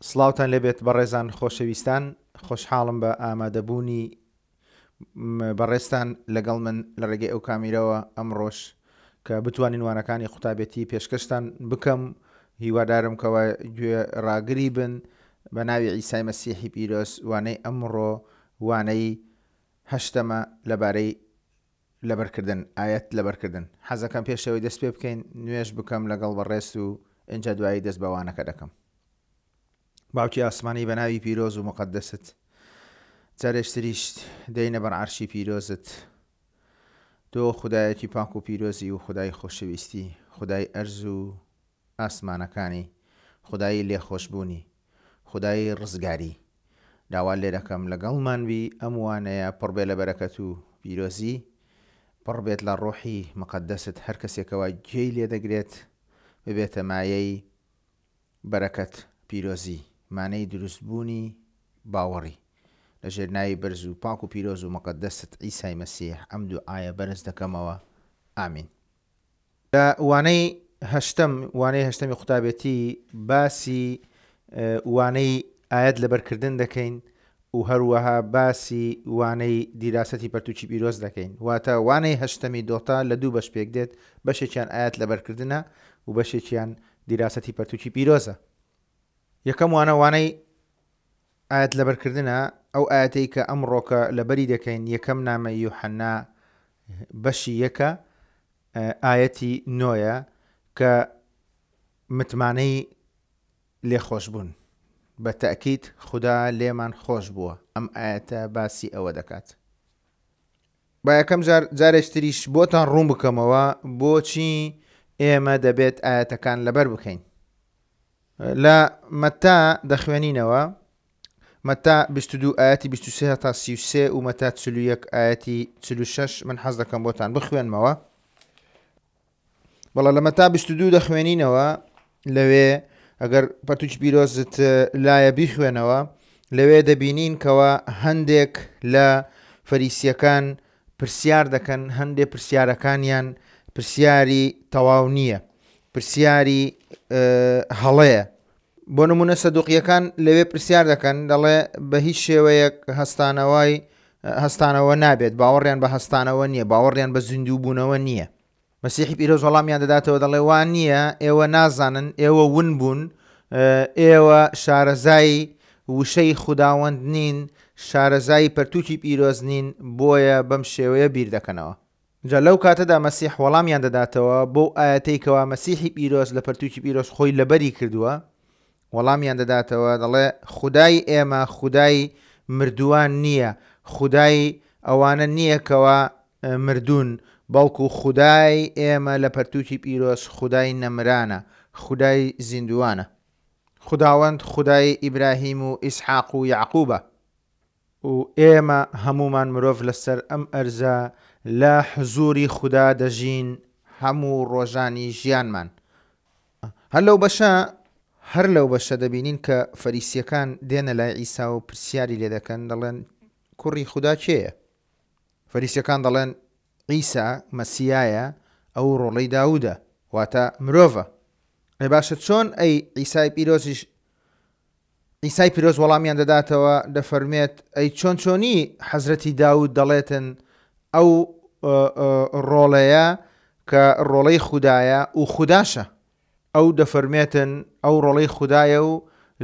سڵاوتان لێبێت بەڕێزان خۆشەویستان خۆشحاڵم بە ئامادەبوونی بەڕێزتان لەگەڵ من لە ڕێگەی ئەو کامیرەوە ئەمڕۆش کە بتوانین وانەکانی قوتابێتی پێشکەشتان بکەم هیوادارم کەوا گوێ ڕاگری بن بە ناوی عیسای مەسیحی پیرۆز وانەی ئەمڕۆ وانەی هەشتەمە لەبارەی لەبەرکردن ئایەت لەبەرکردن حەزەکەم پێشەوەی دەست پێ بکەین نوێژ بکەم لەگەڵ بەڕێزت و ئینجا دوایی دەست بە وانەکە دەکەم. باوکی ئاسمانی بە ناوی پیرۆز و موقەدەست جارێکتریش دێینە بەر عەرشی پیرۆزت تۆ خودایەکی پاک و پیرۆزی و خودای خۆشەویستی خودای ئەرز و ئاسمانەکانی خودای لێخۆشبوونی خودای ڕزگاری داوات لێ دەکەم لەگەڵمان بی ئەم وانەیە پڕ بێ لە بەرەکەت و پیرۆزی پڕ بێت لە ڕۆحی مقەدەست هەر کەسێکەوە گوێی لێ دەگرێت ببێتە مایەی بەرەکەت پیرۆزی مانەی دروست بوونی باوەڕی لە ژێر ناوی بەرز و پاک و پیرۆز و مقەدەست عیسای مەسیح ئەم دوعایە بەرز دەکەمەوە ئامین. لە وانەی هەشتەم، وانەی هەشتەمی قوتابێتی باسی وانەی ئایەت لەبەرکردن دەکەین و هەروەها باسی وانەی دیراسەتی پەرتوکی پیرۆز دەکەین. واتە وانەی هەشتەمی دۆتا لە دوو بەش پێک دێت، بەشێکیان ئایەت لەبەرکردنە و بەشێکیان دیراسەتی پەرتوکی پیرۆزە. یەکەم وانە وانەی ئایەت لەبەرکردنە، ئەو ئایەتەی کە ئەمڕۆکە لەبەری دەکەین یەکەم نامەی یوحەنا بەشی یەکە ئایەتی نۆیە کە متمانەی لێخۆشبوون بە تەئکید خودا لێمان خۆش بووە ئەم ئایەتە باسی ئەوە دەکات. با یەکەم جار جارێکی تریش بۆتان ڕوون بکەمەوە بۆچی ئێمە دەبێت ئایەتەکان لەبەر بکەین. لە مەتا دەخوێنینەوە، مەتا 22 ئایەتی 23 هەتا 33 و مەتا 41 ئایەتی 46 من حەز دەکەم بۆتان بخوێنمەوە. بەڵێ لە مەتا 22 دەخوێنینەوە لەوێ ئەگەر پەرتوکی پیرۆزت لایە بیخوێنەوە لەوێ دەبینین کەوا هەندێک لە فەریسیەکان پرسیار دەکەن هەندێک پرسیارەکانیان پرسیاری تەواو نییە پرسیاری هەڵەیە بۆ نمونە سەدوقیەکان لەوێ پرسیار دەکەن دەڵێ بە هیچ شێوەیەک هەستانەوەی هەستانەوە نابێت باوەڕیان بە هەستانەوە نییە باوەڕیان بە زیندوو بوونەوە نییە مەسیحی پیرۆز وەڵامیان دەداتەوە دەڵێ وا نییە ئێوە نازانن ئێوە ون بوون ئێوە شارەزای وشەی خوداوەند نین شارەزای پەرتوکی پیرۆز نین بۆیە بەم شێوەیە بیر دەکەنەوە جا لەو کاتەدا مەسیح وەڵامیان دەداتەوە بەو ئایەتەی کەوا مەسیحی پیرۆز لە پەرتوکی پیرۆز خۆی لەبەری کردووە وەڵامیان دەداتەوە دەڵێ خودای ئێمە خودای مردووان نییە خودای ئەوانە نییە کەوا مردوون بەڵکو خودای ئێمە لە پەرتوکی پیرۆز خودای نەمرانە خودای زیندووانە خوداوەند خودای ئیبراهیم و ئیسحاق و یەعقوبە. و ئێمە هەموومان مرۆڤ لەسەر ئەم ئەرزە لە حزوری خودا دەژین هەموو ڕۆژانی ژیانمان. هەر لەو بەشە هەر لەو بەشە دەبینین کە فەریسیەکان دێنە لای عیسا و پرسیاری لێ دەکەن دەڵێن کوڕی خودا کێیە؟ فەریسیەکان دەڵێن عیسا مەسیایە ئەو ڕۆڵەی داودە واتە مرۆڤە. ئەی باشە چۆن ئەی عیسای پیرۆزیش عیسای پیرۆز وەڵامیان دەداتەوە دەفەرموێت، ئەی چۆن چۆنی حەزرەتی داود دەڵێتن ئەو ڕۆڵەیە کە ڕۆڵەی خودایە و خوداشە؟ ئەو دەفەرموێتن ئەو ڕۆڵەی خودایە و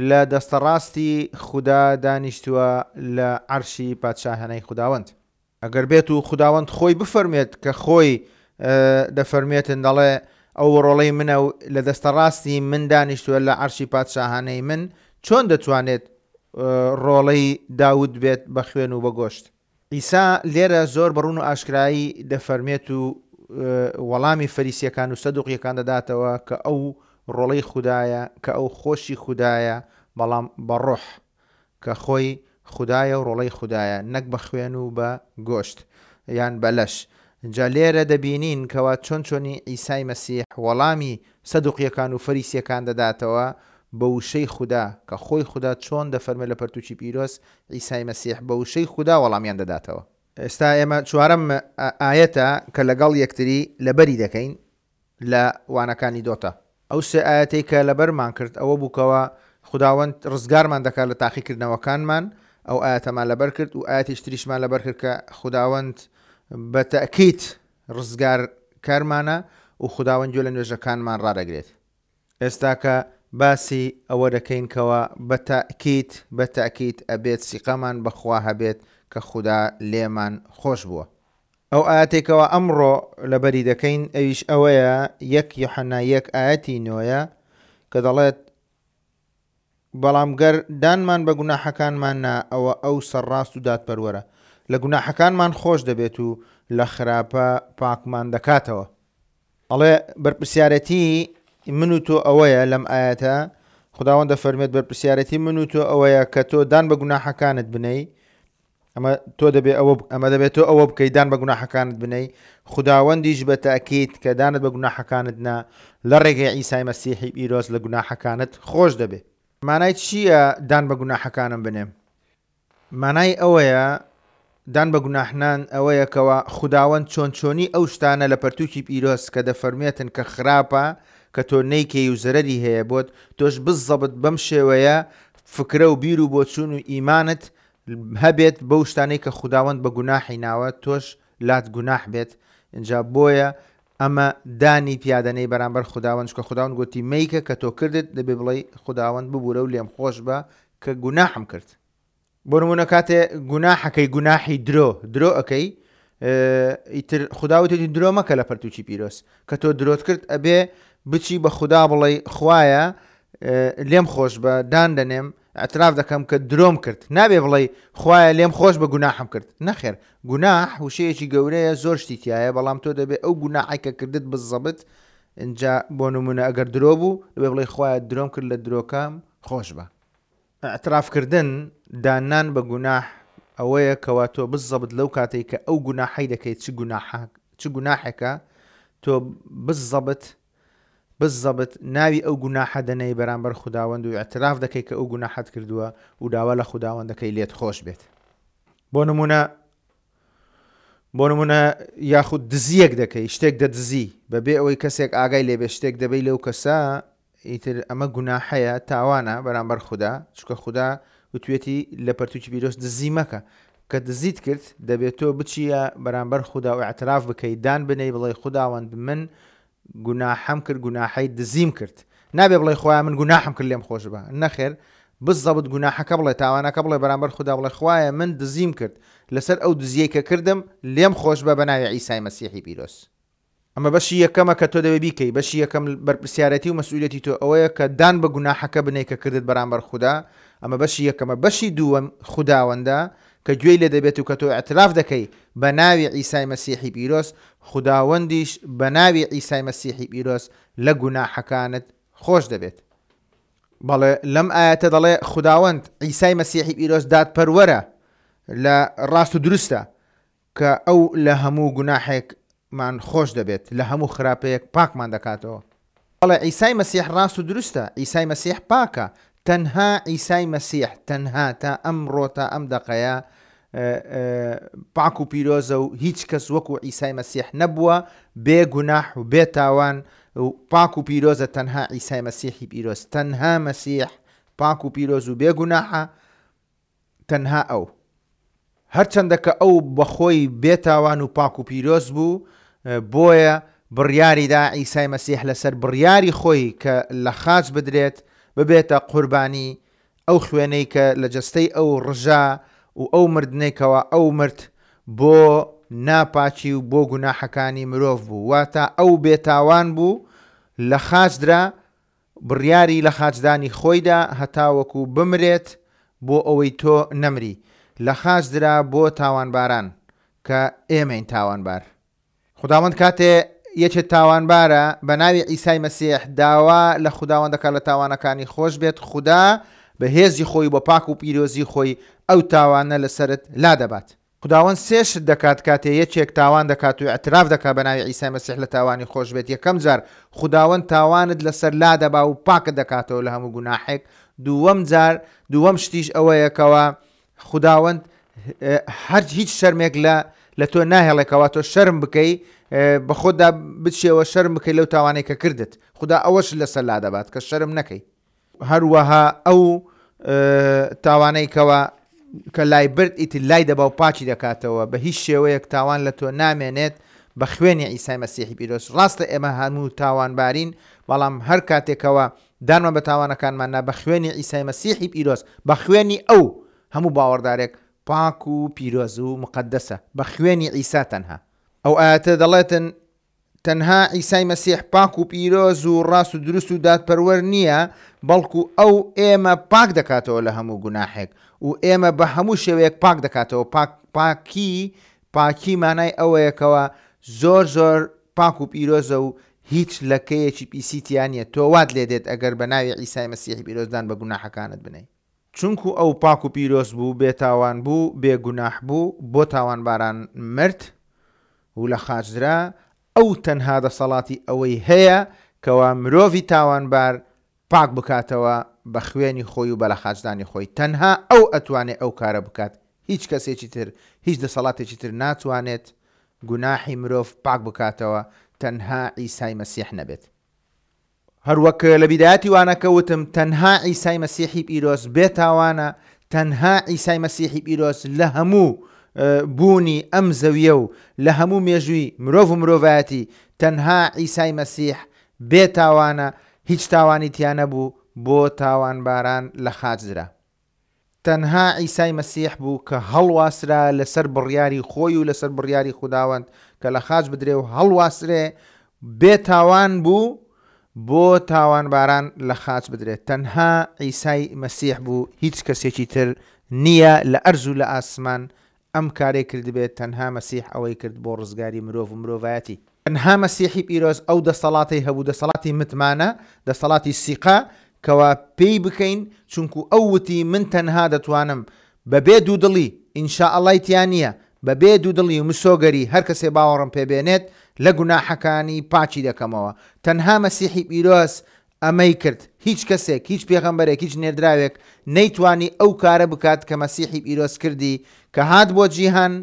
لە دەستەڕاستی خودا دانیشتووە لە عەرشی پادشاهانەی خوداوەند. ئەگەر بێت و خوداوەند خۆی بفەرموێت کە خۆی دەفەرموێتن دەڵێ ئەو ڕۆڵەی منە و لە دەستە ڕاستی من دانیشتووە لە عەرشی پادشاهانەی من چۆن دەتوانێت ڕۆڵەی داود بێت بە خوێن و بە گۆشت؟ عیسا لێرە زۆر بە ڕوون و ئاشکرایی دەفەرموێت و وەڵامی فەریسیەکان و سەدوقیەکان دەداتەوە کە ئەو ڕۆڵەی خودایە کە ئەو خۆشی خودایە بەڵام بە ڕۆح کە خۆی خودایە و ڕۆڵەی خودایە نەک بە خوێن و بە گۆشت یان بە لەش جا لێرە دەبینین کەوا چۆن چۆنی عیسای مەسیح وەڵامی سەدوقیەکان و فەریسیەکان دەداتەوە بە وشەی خودا کە خۆی خودا چۆن دەفەرمێ لە پەرتوکی پیرۆز عیسای مەسیح بە وشەی خودا وەڵامیان دەداتەوە. ئێستا ئێمە چوارەم ئایەتە کە لەگەڵ یەکتری لەبەری دەکەین لە وانەکانی دۆتا. ئەو سێ ئایەتەی کە لەبەرمان کرد ئەوە بوو کەوا خوداوەند ڕزگارمان دەکات لە تاقیکردنەوەکانمان، ئەو ئایەتەمان لەبەر کرد و ئایەتیش تریشمان لەبەر کرد کە خوداوەند بە تەئکید ڕزگارکەرمانە و خوداوەند گوێ لە نوێژەکانمان ڕادەگرێت. ئێستاکە باسی ئەوە دەکەین کەوا بە تەئکید بە تەئکید ئەبێت سیقەمان بە خوا هەبێت کە خودا لێمان خۆش بووە. ئەو ئایەتەی کەوا ئەمڕۆ لەبەری دەکەین ئەویش ئەوەیە یەک یۆحەنا یەک ئایەتی نۆیە کە دەڵێت، بەڵام گەر دانمان بە گوناحەکانمان نا ئەوە ئەو سەرڕاست و دادپەروەرە لە گوناحەکانمان خۆش دەبێت و لە خراپە پاکمان دەکاتەوە. ئەڵێ بەرپرسیارەتی من و تۆ ئەوەیە لەم ئایەتە خداوەند دەفەرمێت بەرپرسیارەتی من و تۆ ئەوەیە کە تۆ دان بە گوناحەکانت بنەی ئەمە تۆ دەبێ ئەوە ئەمە دەبێت تۆ ئەوە بکەی دان بە گوناحەکانت بنەی خوداوەندیش بە تاکیت کە دانت بە گوناحەکانت نا لە ڕێگەی عیسای مەسیحی پیرۆز لە گوناحەکانت خۆش دەبێ. مانای چییە دان بە گوناحەکانم بنێم؟ مانای ئەوەیە دان بە گوناحنان ئەوەیە کەوا خوداوەند چۆن چۆنی ئەو شتانە لە پەرتووکی پیرۆز کە دەفەرموێتن کە خراپە کە تۆ نەیکەی و زەرەری هەیە بۆت تۆش بزەبت بەم شێوەیە فکرە و بیر و بۆچوون و ئیمانت هەبێت بەو شتانەی کە خوداوەند بە گوناحی ناوە تۆش لات گوناح بێت ئینجا بۆیە ئەمە دانی پیادەنێی بەرامبەر خوداوەند چونکە خوداوەند گۆتی مەیکە کە تۆ کردت دەبێ بڵێی خوداوەند ببورە و لێم خۆش بە کە گوناحم کرد بۆ نمونە کاتێ گوناحەکەی گوناحی درۆ درۆ ئەکەی ئیتر خودا وتێتی درۆ مەکە لە پەرتوکی پیرۆز کە تۆ درۆت کرد ئەبێ بچی بە خودا بڵێ خوایە لێم خۆش بە دان دەنێم اعتراف دەکەم کە درۆم کرد نابێ بڵێ خوایە لێم خۆش بە گوناحم کرد نەخێر گوناح وشەیەکی گەورەیە زۆر شتی تایە بەڵام تۆ دەبێ ئەو گوناحی کە کردت بزەبت اینجا بۆ نمونە ئەگەر درۆ بوو دەبێ بڵێ خوایە درۆم کرد لە درۆکەم خۆش بە ئیعتراف کردن، داننان بە گوناح، ئەوەیە کەوا تۆ بزەبت لەو کاتەی کە ئەو گوناحەی دەکەیت چ گوناحە چ گوناحێکە تۆ بزەبت بزەبت ناوی ئەو گوناحە دەنێی بەرامبەر خوداوەند و ئیعتراف دەکەی کە ئەو گوناحەت کردووە و داوا لە خوداوەند دەکەی لێت خۆش بێت. بۆ نمونە بۆ نمونە یاخود دزیەک دەکەی شتێک دەدزی بەبێ ئەوەی کەسێک ئاگای لێبێ شتێک دەبەی لەو کەسە ئیتر ئەمە گوناحەیە تاوانە بەرامبەر خودا چونکە خودا وتوێتی لە پەرتوکی پیرۆز دزی مەکە کە دزیت کرد دەبێت تۆ بچیە بەرامبەر خودا و اعتراف بکەی دان بنێی بڵێ خوداوەند من گوناحەم کرد گوناحەی دزیم کرد نابێ بڵێ خوایە من گوناحم کرد لێم خۆش بە نەخێر بزەبت گوناحەکە بڵێ تاوانەکە بڵێ بەرامبەر خودا بڵێ خوایە من دزیم کرد لەسەر ئەو دزیەی کە کردم لێم خۆش بە بەناوی عیسای مەسیحی پیرۆز. ئەمە بەشی یەکەمە کە تۆ دەبێ بیکەی، بەشی یەکەم بەرپرسیارێتی و مەسئولیەتی تۆ ئەوەیە کە دان بە گوناحەکە بنێی کە کردت بەرامبەر خودا، ئەمە بەشی یەکەمە، بەشی دووەم خوداوەندە کە گوێی لێ دەبێت و کە تۆ ئیعتراف دەکەی بە ناوی عیسای مەسیحی پیرۆز، خوداوەندیش بە ناوی عیسای مەسیحی پیرۆز لە گوناحەکانت خۆش دەبێت. بەڵێ لەم ئایەتە دەڵێ خوداوەند عیسای مەسیحی پیرۆز دادپەروەرە لە ڕاست و دروستە، کە ئەو لە هەموو گوناحێکمان خۆش دەبێت، لە هەموو خراپەیەک پاکمان دەکاتەوە. بەڵێ، عیسای مەسیح ڕاست و دروستە، عیسای مەسیح پاکە، تەنها عیسای مەسیح، تەنها تا ئەمڕۆ تا ئەم دەقەیە پاک و پیرۆزە و هیچ کەس وەکو عیسای مەسیح نەبووە، بێ گوناح و بێ تاوان و پاک و پیرۆزە تەنها عیسای مەسیحی پیرۆز، تەنها مەسیح پاک و پیرۆز و بێ گوناحە، تەنها ئەو. هەرچەندە کە ئەو بەخۆی بێ تاوان و پاک و پیرۆز بوو، بۆیە بڕیاری دا عیسای مەسیح لەسەر بڕیاری خۆی کە لە خاچ بدرێت، ببێتە قوربانی، ئەو خوێنەی کە لە جەستەی ئەو ڕژا و ئەو مردنەی کەوا ئەو مرد بۆ ناپاکی و بۆ گوناحەکانی مرۆڤ بوو، واتە ئەو بێ تاوان بوو لە خاچ درا، بڕیاری لەخاچدانی خۆیدا هەتاوەکو بمرێت بۆ ئەوەی تۆ نەمری، لەخاچ درا بۆ تاوانباران، کە ئێمەین تاوانبار. خوداوەند کاتێ یەکێ تاوانبارە، بە ناوی عیسای مەسیح داوا لە خوداوەند دەکات لە تاوانەکانی خۆش بێت، خودا بە هێزی خۆی و بە پاک و پیرۆزی خۆی ئەو تاوانە لەسەرت لادەبات. خوداوەند سێ شت دەکات کاتێ یەکێک تاوان دەکات و ئیعتراف دەکات بە ناوی عیسای مەسیح لە تاوانی خۆش بێت یەکەم جار خوداوەند تاوانت لەسەر لادەبا و پاکت دەکاتەوە لە هەموو گوناحێک دووەم جار دووەم شتیش ئەوەیە کەوا خوداوەند هەر هیچ شەرمێک لە لە تۆ ناهێڵێ کەوا تۆ شەرم بکەی بەخۆتدا بچیەوە شەرم بکەی لەو تاوانەی کە کردت خودا ئەوەش لەسەر لادەبات کە شەرم نەکەی. هەروەها ئەو تاوانەی کەوا کە لای برد ئیتر لای دەبا و پاکی دەکاتەوە، بە هیچ شێوەیەک تاوان لە تۆ نامێنێت بە خوێنی عیسای مەسیحی پیرۆز. ڕاستە ئێمە هەموو تاوانبارین، بەڵام هەر کاتێک کەوا دانمان بە تاوانەکانمان نا، بە خوێنی عیسای مەسیحی پیرۆز، بە خوێنی ئەو هەموو باوەڕدارێک پاک و پیرۆز و موقەدەسە، بە خوێنی عیسا تەنها. ئەو ئایەتە دەڵێتن، تەنها عیسای مەسیح پاک و پیرۆز و ڕاست و دروست و دادپەروەر نییە، بەڵکو ئەو ئێمە پاک دەکاتەوە لە هەموو گوناحێک و ئێمە بە هەموو شێوەیەک پاک دەکاتەوە، پاک پاکی پاکی مانای ئەوەیە کەوا زۆر زۆر پاک و پیرۆزە و هیچ لەکەیەکی پیسی تیا نییە، تۆ وات لێ دێت ئەگەر بە ناوی عیسای مەسیحی پیرۆز دان بە گوناحەکانت بنێی. چونکو ئەو پاک و پیرۆز بوو، بێتاوان بوو، بێ گوناح بوو، بۆ تاوانباران مرد و لە خاچ درا، ئەو تەنها دەسەڵاتی ئەوەی هەیە کەوا مرۆڤی تاوانبار پاک بکاتەوە بە خوێنی خۆی و بە لەخاچدانی خۆی، تەنها ئەو ئەتوانێ ئەو کارە بکات، هیچ کەسێکی تر، هیچ دەسەڵاتێکی تر ناتوانێت گوناحی مرۆڤ پاک بکاتەوە تەنها عیسای مەسیح نەبێت. هەروەک لە بیدایەتی وانەکە وتم تەنها عیسای مەسیحی پیرۆز بێ تاوانە، تەنها عیسای مەسیحی پیرۆز لە هەموو بوونی ئەم زەویە و لە هەموو مێژووی مرۆڤ و مرۆڤایەتی تەنها عیسای مەسیح بێ تاوانە، هیچ تاوانی تیا نەبوو بۆ تاوانباران لە خاچ درا. تەنها عیسای مەسیح بوو کە هەڵواسرا لەسەر بڕیاری خۆی و لەسەر بڕیاری خوداوەند کە لە خاچ بدرێ و هەڵواسرێ، بێ تاوان بوو بۆ تاوانباران لە خاچ بدرێت. تەنها عیسای مەسیح بوو هیچ کەسێکی تر نییە لە ئەرز و لە ئاسمان ئەم کارەی کردبێت تەنها مەسیح ئەوەی کرد بۆ ڕزگاری مرۆڤ و مرۆڤایەتی. تەنها مەسیحی پیرۆز ئەو دەسەڵاتەی هەبوو دەسەڵاتی متمانە، دەسەڵاتی سیقە کەوا پێی بکەین چونکو ئەو وتی من تەنها دەتوانم بەبێ دوودڵی، ان شاء اللە ی تیا نییە، بەبێ دوودڵی و مسۆگەری هەرکەسێ باوەڕم پێ بێنێت لە گوناحەکانی پاکی دەکەمەوە. تەنها مەسیحی پیرۆز ئەمەی کرد، هیچ کەسێک، هیچ پێغەمبەرێک، هیچ نێردراوێک نەیتوانی ئەو کارە بکات کە مەسیحی پیرۆز کردی، کە هات بۆ جیهان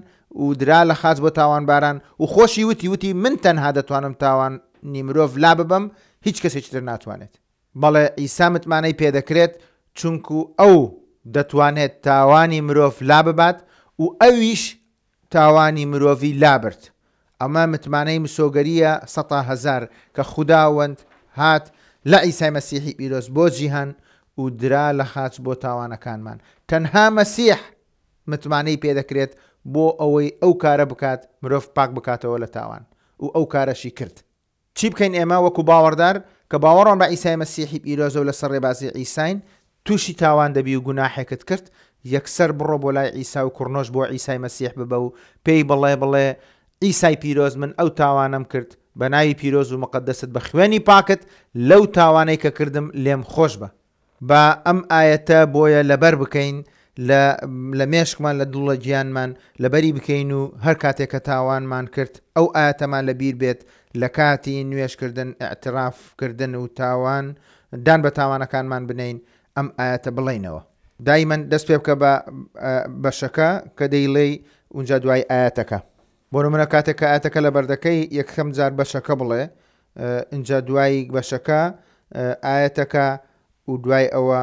و درا لە خاچ بۆ تاوانباران و خۆشی وتی، وتی من تەنها دەتوانم تاوانی مرۆڤ لاببەم، هیچ کەسێکی تر ناتوانێت. بەڵێ عیسا متمانەی پێدەکرێت، چونکو ئەو دەتوانێت تاوانی مرۆڤ لاببات و ئەویش تاوانی مرۆڤی لابرد. ئەمە متمانەی مسۆگەرییە سەتا هەزار کە خوداوەند هات لە عیسای مەسیحی پیرۆز بۆ جیهان و درا لە خاچ بۆ تاوانەکانمان. تەنها مەسیح متمانەی پێدەکرێت بۆ ئەوەی ئەو کارە بکات مرۆڤ پاک بکاتەوە لە تاوان و ئەو کارەشی کرد. چی بکەین ئێمە وەکو باوەڕدار کە باوەڕمان بە عیسای مەسیحی پیرۆزە و لەسەر ڕێبازی عیساین، تووشی تاوان دەبی و گوناحێکت کرد، یەکسەر بڕۆ بۆ لای عیسا و کڕنۆش بۆ عیسای مەسیح ببە و پێی بڵێ بڵێ، عیسای پیرۆز من ئەو تاوانەم کرد، بە ناوی پیرۆز و مقەدەست بە خوێنی پاکت لەو تاوانەی کە کردم لێم خۆش بە. با ئەم ئایەتە بۆیە لەبەر بکەین لە لە مێشکمان لە دڵ لە گیانمان لەبەری بکەین و هەر کاتێک کە تاوانمان کرد ئەو ئایەتەمان لە بیر بێت لە کاتی نوێژ کردن ئیعتراف کردن و تاوان دان بە تاوانەکانمان بنێین ئەم ئایەتە بڵێینەوە. دایمەن دەست پێ بکە بە بەشەکە کە دەیڵێی ئونجا دوای ئایەتەکە. بۆ نمونە کاتێک کە ئایەتەکە لەبەر دەکەی یەکەم جار بەشەکە بڵێ ئینجا دوای بەشەکە ئایەتەکە و دوای ئەوە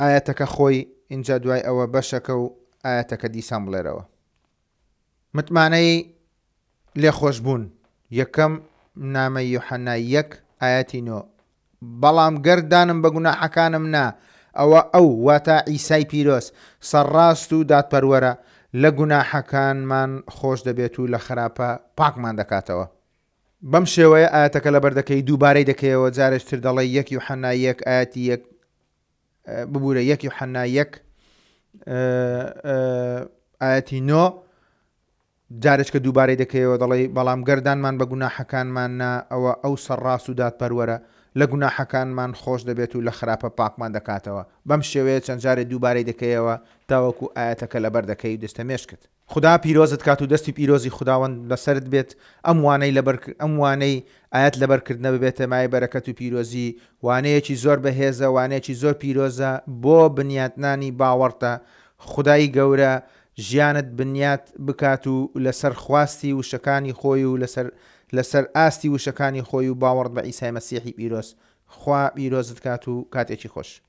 ئایەتەکە خۆی ئینجا دوای ئەوە بەشەکە و ئایەتەکە دیسان بڵێرەوە. متمانەی لێخۆشبوون، یەکەم نامەی یۆحەنا یەک ئایەتی نۆ، بەڵام گەر دانم بە گوناحەکانم نا، ئەوە ئەو، واتە عیسای پیرۆز، سەرڕاست و دادپەروەرە، لە گوناحەکانمان خۆش دەبێت و لە خراپە پاکمان دەکاتەوە. بەم شێوەیە ئایەتەکە لەبەر دەکەی، دووبارەی دەکەیەوە، جارێکی تر دەڵێی یەک یوحەنا یەک ئایەتی یەک، ببورە یەک یوحەنا یەک ئایەتی نۆ، جارێچکە دووبارەی دەکەیەوە دەڵێی، بەڵام گەر دانمان بە گوناحەکانمان نا، ئەوە ئەو سەرڕاست و دادپەروەرە، لە گوناحەکانمان خۆش دەبێت و لە خراپە پاکمان دەکاتەوە. بەم شێوەیە چەند جارێ دووبارەی دەکەیەوە تاوەکو ئایەتەکە لەبەر دەکەی و دەستە مێشکت. خودا پیرۆزت کات و دەستی پیرۆزی خوداوەند لەسەرت بێت، ئەم وانەی لەبەر ئەم وانەی ئایەت لەبەر کردنە ببێتە مایەی بەرەکەت و پیرۆزی، وانەیەکی زۆر بەهێزە، وانەیەکی زۆر پیرۆزە بۆ بنیاتنانی باوەڕتە، خودای گەورە ژیانت بنیات بکات و لەسەر خواستی وشەکانی خۆی و لەسەر لەسەر ئاستی وشەکانی خۆی و باوەڕت بە عیسای مەسیحی پیرۆز. خوا پیرۆزت کات و کاتێکی خۆش.